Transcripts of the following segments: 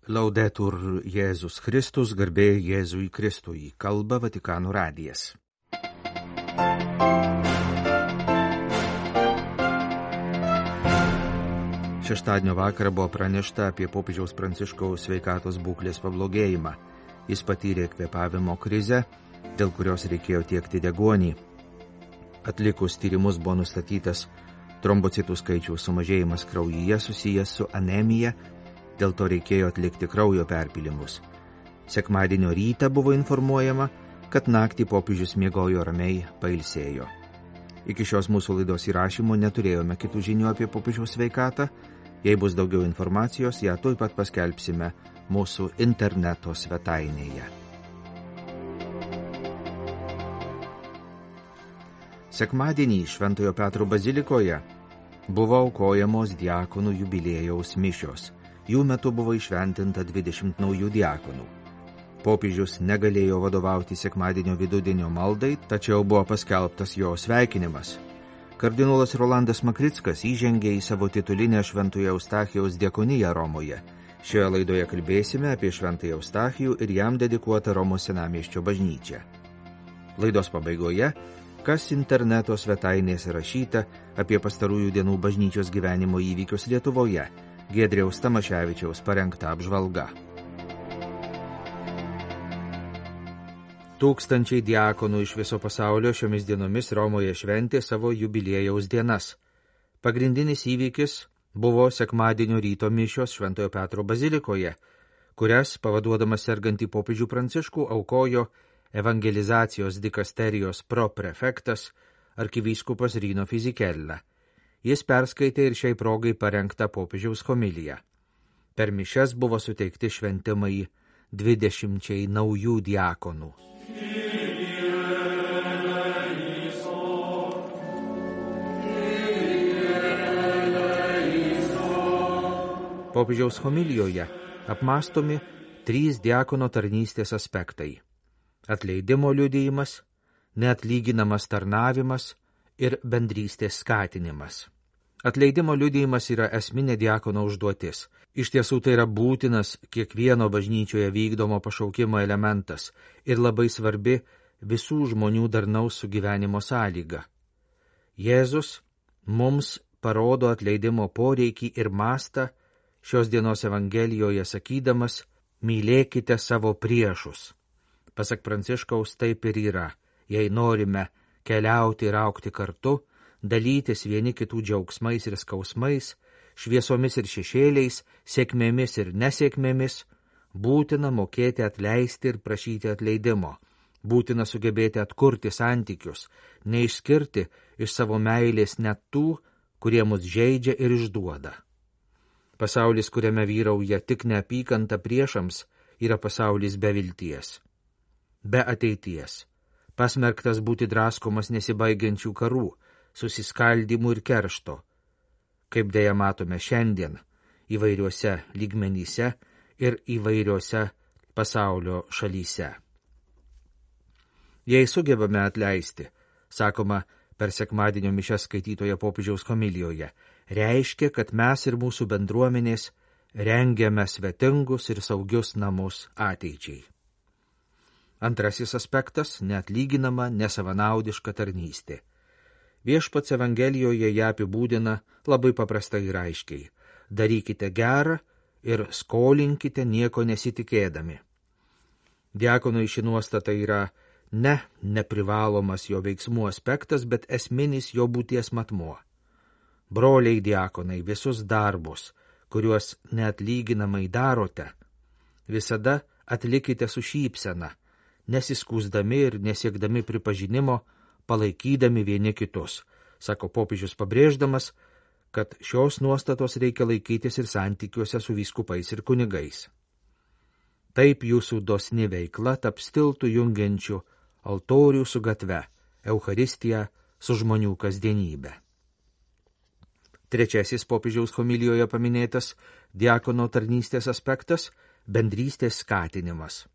Laudetur Jėzus Kristus, garbė Jėzui Kristui, kalba Vatikano radijas. Šeštadienio vakarą buvo pranešta apie popiežiaus Pranciškaus sveikatos būklės pablogėjimą. Jis patyrė kvėpavimo krizę, dėl kurios reikėjo tiekti deguonį. Atlikus tyrimus buvo nustatytas trombocitų skaičiaus sumažėjimas kraujyje susijęs su anemija, dėl to reikėjo atlikti kraujo perpylimus. Sekmadienio rytą buvo informuojama, kad naktį popiežius miegojo ramiai, pailsėjo. Iki šios mūsų laidos įrašymo neturėjome kitų žinių apie popiežiaus sveikatą. Jei bus daugiau informacijos, ją tuoj pat paskelbsime mūsų interneto svetainėje. Sekmadienį Šventojo Petro bazilikoje buvo aukojamos diakonų jubiliejaus mišios. Jų metu buvo įšventinta 20 naujų diakonų. Popiežius negalėjo vadovauti sekmadienio vidudienio maldai, tačiau buvo paskelbtas jo sveikinimas. Kardinolas Rolandas Makrickas įžengė į savo titulinę Šventojo Eustachijaus diakoniją Romoje. Šioje laidoje kalbėsime apie Šventąjį Eustachijų ir jam dedikuotą Romos senamiesčio bažnyčią. Laidos pabaigoje, kas interneto svetainėse rašyta apie pastarųjų dienų bažnyčios gyvenimo įvykius Lietuvoje, Giedriaus Tamaševičiaus parengta apžvalga. Tūkstančiai diakonų iš viso pasaulio šiomis dienomis Romoje šventė savo jubiliejaus dienas. Pagrindinis įvykis buvo sekmadienio ryto mišios Šventojo Petro bazilikoje, kurias, pavaduodamas sergantį popiežių Pranciškų, aukojo evangelizacijos dikasterijos proprefektas arkivyskupas Rino Fisichella. Jis perskaitė ir šiai progai parengtą popiežiaus homiliją. Per mišias buvo suteikti šventimai 20 naujų diakonų. Popiežiaus homilijoje apmąstomi 3 diakono tarnystės aspektai: atleidimo liudijimas, neatlyginamas tarnavimas ir bendrystės skatinimas. Atleidimo liudijimas yra esminė diakono užduotis. Iš tiesų tai yra būtinas kiekvieno bažnyčioje vykdomo pašaukimo elementas ir labai svarbi visų žmonių darnaus sugyvenimo sąlyga. Jėzus mums parodo atleidimo poreikį ir mastą šios dienos Evangelijoje sakydamas: mylėkite savo priešus. Pasak Pranciškaus, taip ir yra. Jei norime keliauti ir augti kartu, dalytis vieni kitų džiaugsmais ir skausmais, šviesomis ir šešėliais, sėkmėmis ir nesėkmėmis, būtina mokėti atleisti ir prašyti atleidimo. Būtina sugebėti atkurti santykius, neišskirti iš savo meilės net tų, kurie mus žeidžia ir išduoda. Pasaulis, kuriame vyrauja tik neapykanta priešams, yra pasaulis be vilties, be ateities, pasmerktas būti draskomas nesibaigiančių karų, susiskaldymų ir keršto, kaip dėja matome šiandien įvairiuose lygmenyse ir įvairiuose pasaulio šalyse. Jei sugebame atleisti, sakoma per sekmadienio mišias skaitytoje popiežiaus homilijoje, reiškia, kad mes ir mūsų bendruomenės rengiame svetingus ir saugius namus ateičiai. Antrasis aspektas – neatlyginama, nesavanaudiška tarnystė. Viešpats Evangelijoje ją apibūdina labai paprastai ir aiškiai. Darykite gerą ir skolinkite nieko nesitikėdami. Diakonui ši nuostata yra ne neprivalomas jo veiksmų aspektas, bet esminis jo būties matmuo. Broliai diakonai, visus darbus, kuriuos neatlyginamai darote, visada atlikite su šypsena, nesiskųsdami ir nesiekdami pripažinimo, palaikydami vieni kitus, sako popiežius pabrėždamas, kad šios nuostatos reikia laikytis ir santykiuose su vyskupais ir kunigais. Taip jūsų dosni veikla taps tiltu jungiančiu altorių su gatve, Eucharistiją su žmonių kasdienybė. Trečiasis popiežiaus homilijoje paminėtas diakono tarnystės aspektas – bendrystės skatinimas.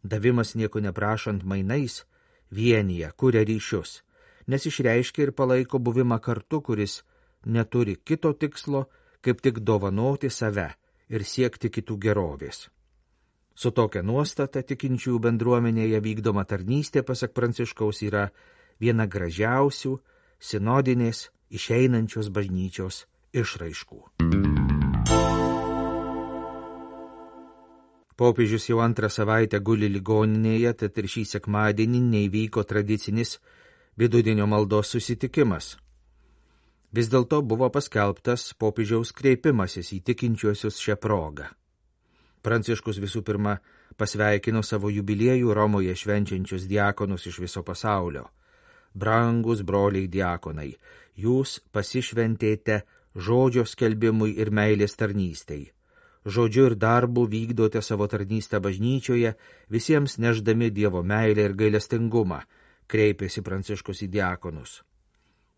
Davimas nieko neprašant mainais vienyje, kuria ryšius, nes išreiškia ir palaiko buvimą kartu, kuris neturi kito tikslo, kaip tik dovanoti save ir siekti kitų gerovės. Su tokia nuostata tikinčiųjų bendruomenėje vykdoma tarnystė, pasak Pranciškaus, yra viena gražiausių sinodinės išeinančios bažnyčios išraiškų. Popiežius jau antrą savaitę guli ligoninėje, tad ir šį sekmadienį neįvyko tradicinis vidudienio maldos susitikimas. Vis dėlto buvo paskelbtas popiežiaus kreipimasis į tikinčiuosius šią progą. Pranciškus visų pirma pasveikino savo jubiliejų Romoje švenčiančius diakonus iš viso pasaulio. Brangus broliai diakonai, jūs pasišventėte žodžio skelbimui ir meilės tarnystei. Žodžiu ir darbu vykdote savo tarnystę bažnyčioje, visiems neždami Dievo meilę ir gailestingumą, kreipėsi Pranciškus į diakonus.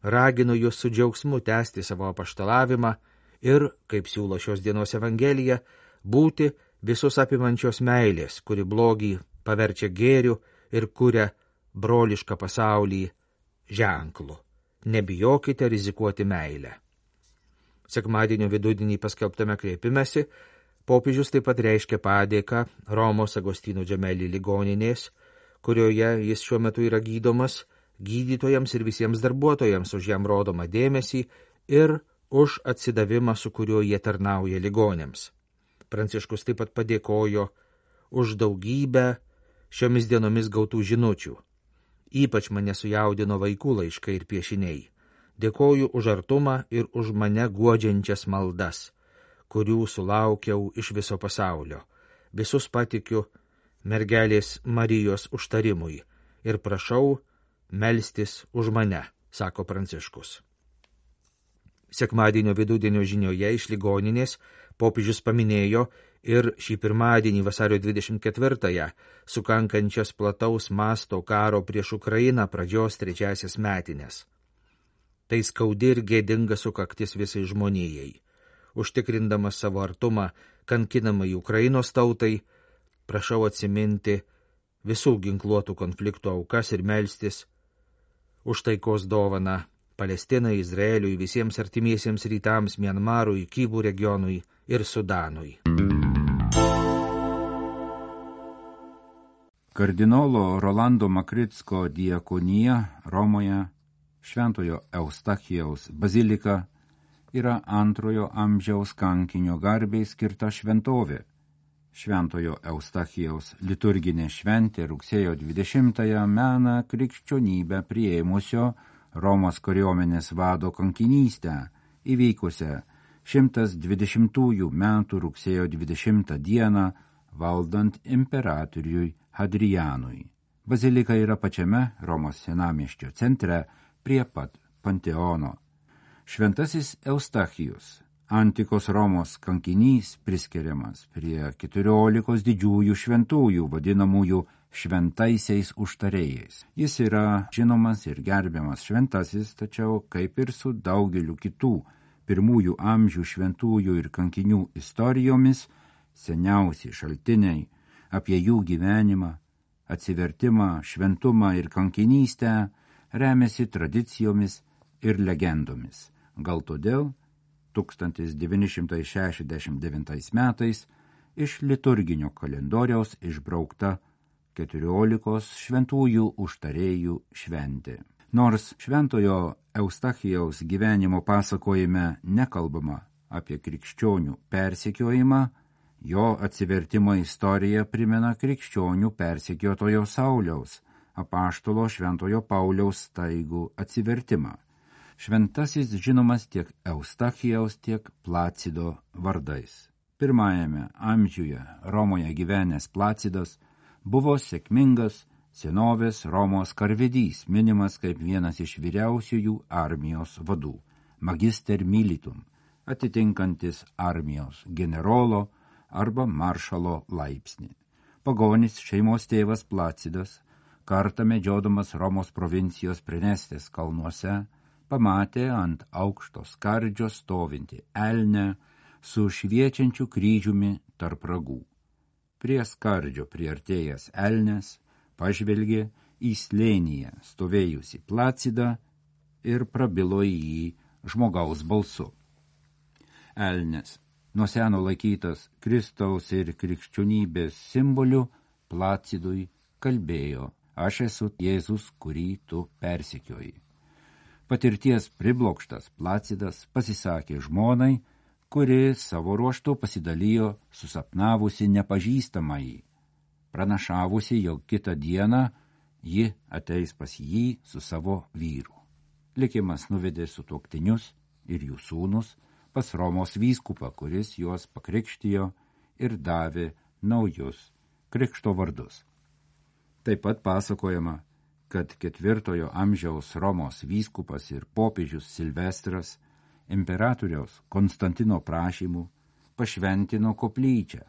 Raginu jūs su džiaugsmu tęsti savo apaštalavimą ir, kaip siūlo šios dienos Evangelija, būti visus apimančios meilės, kuri blogį paverčia gėriu ir kuria brolišką pasaulį ženklu. Nebijokite rizikuoti meilę. Sekmadienio vidudienį paskelbtame kreipimesi popiežius taip pat reiškia padėką Romos Agostino Džemeli ligoninės, kurioje jis šiuo metu yra gydomas, gydytojams ir visiems darbuotojams už jam rodomą dėmesį ir už atsidavimą, su kuriuo jie tarnauja ligoniams. Pranciškus taip pat padėkojo už daugybę šiomis dienomis gautų žinučių. Ypač mane sujaudino vaikų laiškai ir piešiniai. Dėkoju už artumą ir už mane guodžiančias maldas, kurių sulaukiau iš viso pasaulio. Visus patikiu mergelės Marijos užtarimui ir prašau melstis už mane, sako Pranciškus. Sekmadienio vidudienio žinioje iš ligoninės popiežius paminėjo ir šį pirmadienį vasario 24-ąją sukankančias plataus masto karo prieš Ukrainą pradžios 3 metines. Tai skaudi ir gėdinga sukaktis visai žmonijai. Užtikrindamas savo artumą kankinamai Ukrainos tautai, prašau atsiminti visų ginkluotų konfliktų aukas ir melstis už taikos dovaną Palestinai, Izraeliui, visiems artimiesiems rytams, Mianmarui, Kybų regionui ir Sudanui. Kardinolo Rolando Makritsko diakonija Romoje, Šventojo Eustachijaus bazilika, yra 2 amžiaus kankinio garbei skirta šventovė. Šventojo Eustachijaus liturginė šventė rugsėjo 20-ąją mena krikščionybę priėmusio Romos kariuomenės vado kankinystę, įvykusią 120 metų rugsėjo 20 dieną valdant imperatoriui Hadrianui. Bazilika yra pačiame Romos senamiesčio centre prie pat Panteono. Šventasis Eustachijus, antikos Romos kankinys, priskiriamas prie 14 didžiųjų šventųjų vadinamųjų šventaisiais užtarėjais. Jis yra žinomas ir gerbiamas šventasis, tačiau kaip ir su daugeliu kitų pirmųjų amžių šventųjų ir kankinių istorijomis, seniausi šaltiniai apie jų gyvenimą, atsivertimą, šventumą ir kankinystę remiasi tradicijomis ir legendomis. Gal todėl 1969 metais iš liturginio kalendoriaus išbraukta 14 šventųjų užtarėjų šventė. Nors šventojo Eustachijaus gyvenimo pasakojime nekalbama apie krikščionių persekiojimą, jo atsivertimo istorija primena krikščionių persekiotojo Sauliaus, apaštalo Šventojo Pauliaus staigų atsivertimą. Šventasis žinomas tiek Eustachijaus, tiek Placido vardais. Pirmajame amžiuje Romoje gyvenęs Placidas buvo sėkmingas senovės Romos karvedys, minimas kaip vienas iš vyriausiųjų armijos vadų, magister militum, atitinkantis armijos generolo arba maršalo laipsnį. Pagonis šeimos tėvas Placidas, kartą medžiodamas Romos provincijos Prenestės kalnuose, pamatė ant aukšto skardžio stovintį elnę su šviečiančiu kryžiumi tarp ragų. Prie skardžio priartėjęs elnes pažvelgė į slėnyje stovėjusi Placidą ir prabilo į jį žmogaus balsu. Elnes nuo seno laikytas Kristaus ir krikščionybės simboliu, Placidui kalbėjo: aš esu Jėzus, kurį tu persekioji. Patirties priblokštas Placidas pasisakė žmonai, kuri savo ruožtu pasidalijo susapnavusi nepažįstamąjį, pranašavusi, jog kitą dieną ji ateis pas jį su savo vyru. Likimas nuvedė sutuoktinius ir jų sūnus pas Romos vyskupą, kuris juos pakrikštijo ir davė naujus krikšto vardus. Taip pat pasakojama, kad 4 amžiaus Romos vyskupas ir popiežius Silvestras imperatoriaus Konstantino prašymu pašventino koplyčią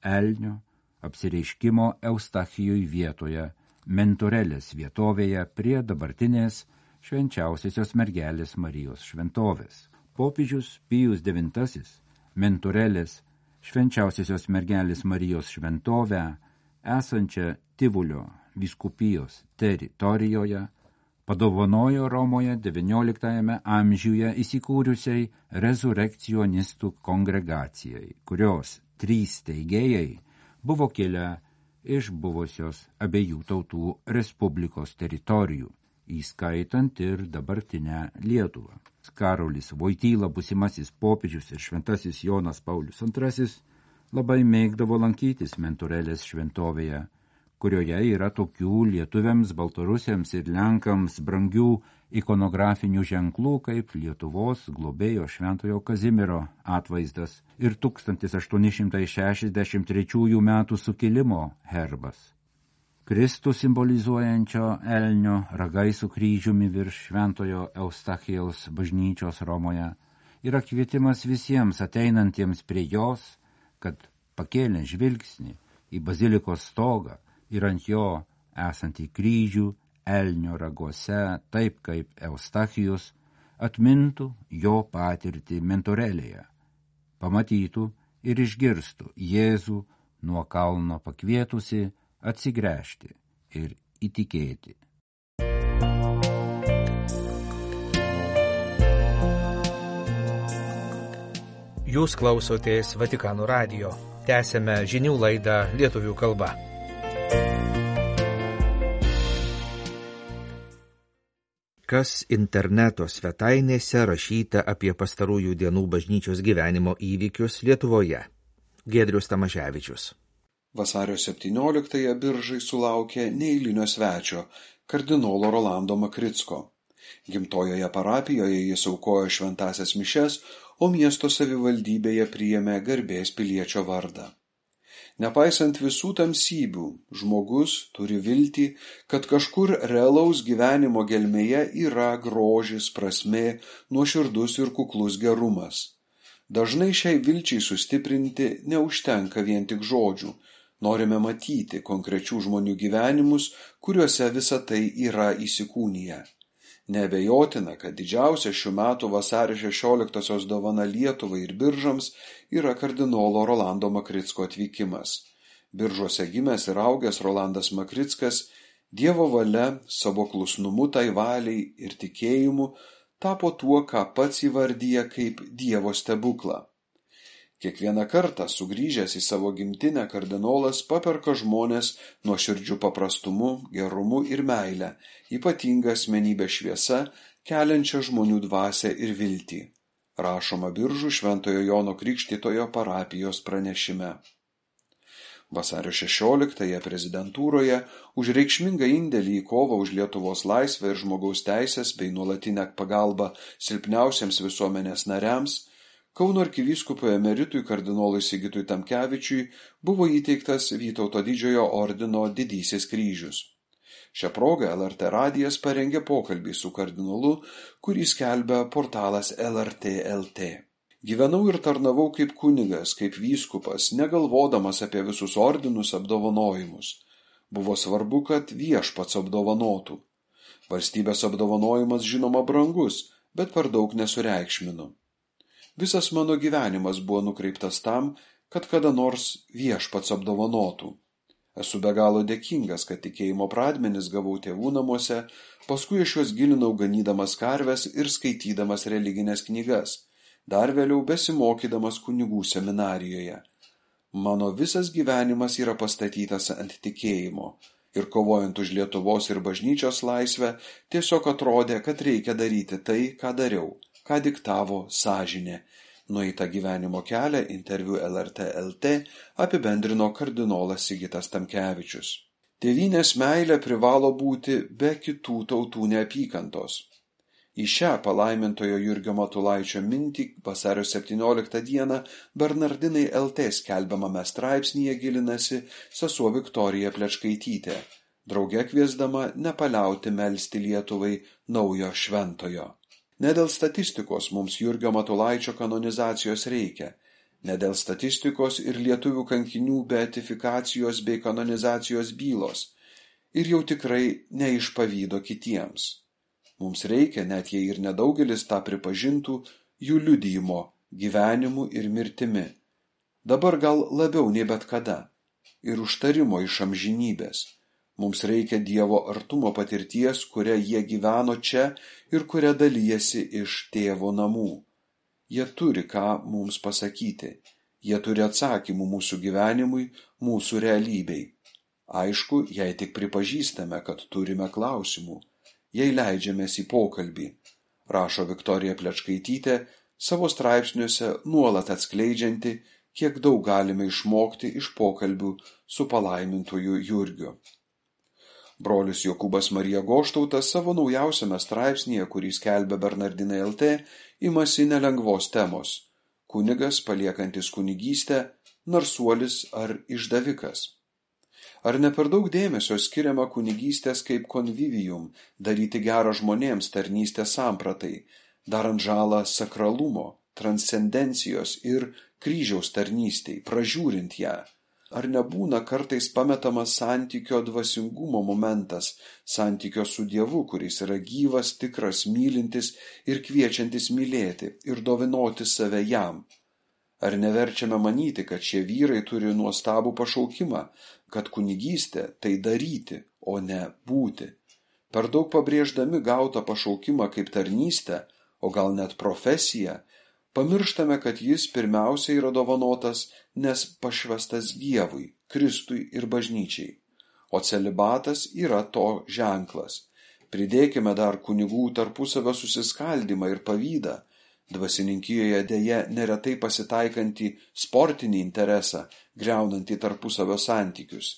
Elnio apsireiškimo Eustachijui vietoje Mentorelės vietovėje prie dabartinės švenčiausiosios mergelės Marijos šventovės. Popiežius Pijus IX Mentorelės švenčiausiosios mergelės Marijos šventovę esančią Tivulio vyskupijos teritorijoje padovanojo Romoje XIX amžiuje įsikūrusiai rezurekcionistų kongregacijai, kurios 3 steigėjai buvo kilę iš buvusios abiejų tautų respublikos teritorijų, įskaitant ir dabartinę Lietuvą. Karolis Voityla, būsimasis popiežius ir šventasis Jonas Paulius II labai mėgdavo lankytis Mentorelės šventovėje, kurioje yra tokių lietuviams, baltarusiams ir lenkams brangių ikonografinių ženklų kaip Lietuvos globėjo Šventojo Kazimiero atvaizdas ir 1863 metų sukilimo herbas. Kristų simbolizuojančio Elnio ragai su kryžiumi virš Šventojo Eustachijaus bažnyčios Romoje yra kvietimas visiems ateinantiems prie jos, kad pakėlę žvilgsnį į bazilikos stogą ir ant jo esantį kryžių Elnio raguose, taip kaip Eustachijus, atmintų jo patirtį Mentorelėje, pamatytų ir išgirstų Jėzų nuo kalno pakvietusi atsigręžti ir įtikėti. Jūs klausotės Vatikano radijo. Tęsėme žinių laidą lietuvių kalba. Kas interneto svetainėse rašyta apie pastarųjų dienų bažnyčios gyvenimo įvykius Lietuvoje? Giedrius Tamaševičius. Vasario 17-ąją Biržai sulaukė neeilinio svečio, kardinolo Rolando Makricko. Gimtojoje parapijoje jis aukojo šventąsias mišias, o miesto savivaldybėje priėmė garbės piliečio vardą. Nepaisant visų tamsybių, žmogus turi viltį, kad kažkur realaus gyvenimo gelmėje yra grožis, prasmė, nuoširdus ir kuklus gerumas. Dažnai šiai vilčiai sustiprinti neužtenka vien tik žodžių. Norime matyti konkrečių žmonių gyvenimus, kuriuose visa tai yra įsikūniję. Neabejotina, kad didžiausia šių metų vasario 16-osios dovana Lietuvai ir Biržams yra kardinolo Rolando Makricko atvykimas. Biržuose gimęs ir augęs Rolandas Makrickas Dievo valia, savo klusnumu tai valiai ir tikėjimu tapo tuo, ką pats įvardyja kaip Dievo stebuklą. Kiekvieną kartą sugrįžęs į savo gimtinę kardinolas paperka žmonės nuoširdžiu paprastumu, gerumu ir meile, ypatinga asmenybė šviesa, keliančia žmonių dvasią ir viltį. Rašoma Biržų Šventojo Jono Krikštytojo parapijos pranešime. Vasario 16-ąją prezidentūroje už reikšmingą indėlį į kovą už Lietuvos laisvę ir žmogaus teisės bei nuolatinę pagalbą silpniausiems visuomenės nariams Kauno arkivyskupui emeritui kardinolui Sigitui Tamkevičiui buvo įteiktas Vytauto didžiojo ordino didysis kryžius. Šią progą LRT radijas parengė pokalbį su kardinolu, kurį skelbia portalas LRT LT. Gyvenau ir tarnavau kaip kunigas, kaip vyskupas, negalvodamas apie visus ordinus apdovanojimus. Buvo svarbu, kad viešpats apdovanotų. Valstybės apdovanojimas žinoma brangus, bet per daug nesureikšminu. Visas mano gyvenimas buvo nukreiptas tam, kad kada nors viešpats apdovanotų. Esu be galo dėkingas, kad tikėjimo pradmenis gavau tėvų namuose, paskui aš juos gilinau ganydamas karves ir skaitydamas religinės knygas, dar vėliau besimokydamas kunigų seminarijoje. Mano visas gyvenimas yra pastatytas ant tikėjimo ir kovojant už Lietuvos ir bažnyčios laisvę tiesiog atrodė, kad reikia daryti tai, ką dariau, ką diktavo sąžinė. Nueitą gyvenimo kelią interviu LRT LT apibendrino kardinolas Sigitas Tamkevičius. Tėvynės meilė privalo būti be kitų tautų neapykantos. Į šią palaimintojo Jurgio Matulaičio mintį vasario 17 dieną Bernardinai LT skelbiamame straipsnyje gilinasi sesuo Viktorija Plečkaitytė, drauge kviesdama nepaliauti melsti Lietuvai naujo šventojo. Ne dėl statistikos mums Jurgio Matulaičio kanonizacijos reikia, ne dėl statistikos ir lietuvių kankinių beatifikacijos bei kanonizacijos bylos, ir jau tikrai ne iš pavydo kitiems. Mums reikia, net jei ir nedaugelis tą pripažintų, jų liudijimo, gyvenimu ir mirtimi. Dabar gal labiau nei bet kada. Ir užtarimo iš amžinybės. Mums reikia Dievo artumo patirties, kuria jie gyveno čia ir kuria dalyjasi iš tėvo namų. Jie turi ką mums pasakyti. Jie turi atsakymų mūsų gyvenimui, mūsų realybei. Aišku, jei tik pripažįstame, kad turime klausimų. Jei leidžiamės į pokalbį, rašo Viktorija Plečkaitytė savo straipsniuose nuolat atskleidžianti, kiek daug galime išmokti iš pokalbių su palaimintuoju Jurgiu. Brolis Jokūbas Marija Goštautas savo naujausiame straipsnyje, kurį skelbia Bernardinai LT, imasi nelengvos temos – kunigas paliekantis kunigystę, narsuolis ar išdavikas. Ar ne per daug dėmesio skiriama kunigystės kaip konvivijum, daryti gerą žmonėms tarnystės sampratai, darant žalą sakralumo, transcendencijos ir kryžiaus tarnystei, pražiūrint ją? Ar nebūna kartais pametamas santykio dvasingumo momentas, santykio su Dievu, kuris yra gyvas, tikras, mylintis ir kviečiantis mylėti ir dovanoti save jam? Ar neverčiame manyti, kad šie vyrai turi nuostabų pašaukimą, kad kunigystė tai daryti, o ne būti? Per daug pabrėždami gautą pašaukimą kaip tarnystę, o gal net profesiją, pamirštame, kad jis pirmiausia yra dovanotas, nes pašvestas Dievui, Kristui ir bažnyčiai. O celibatas yra to ženklas. Pridėkime dar kunigų tarpusavio susiskaldymą ir pavydą, dvasininkijoje dėja neretai pasitaikantį sportinį interesą, griaunantį tarpusavio santykius.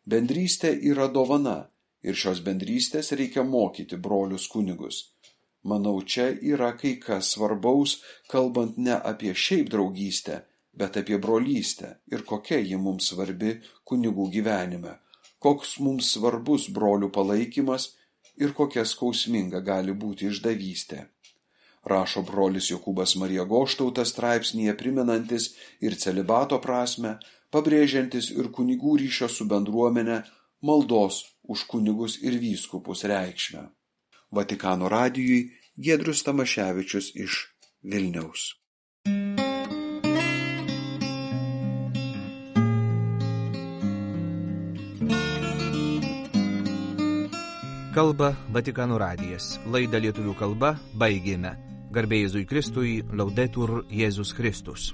Bendrystė yra dovana ir šios bendrystės reikia mokyti brolius kunigus. Manau, čia yra kai kas svarbaus, kalbant ne apie šiaip draugystę, bet apie brolystę ir kokia ji mums svarbi kunigų gyvenime, koks mums svarbus brolių palaikymas ir kokia skausminga gali būti išdavystė. Rašo brolis Jokūbas Marija Goštautas straipsnyje primenantis ir celibato prasmę, pabrėžiantis ir kunigų ryšio su bendruomenė, maldos už kunigus ir vyskupus reikšmę. Vatikano radijui Giedrius Tamaševičius iš Vilniaus. Kalba Vatikano radijas. Laidą lietuvių kalba baigėme. Garbė Jėzui Kristui, Laudetur Jėzus Kristus.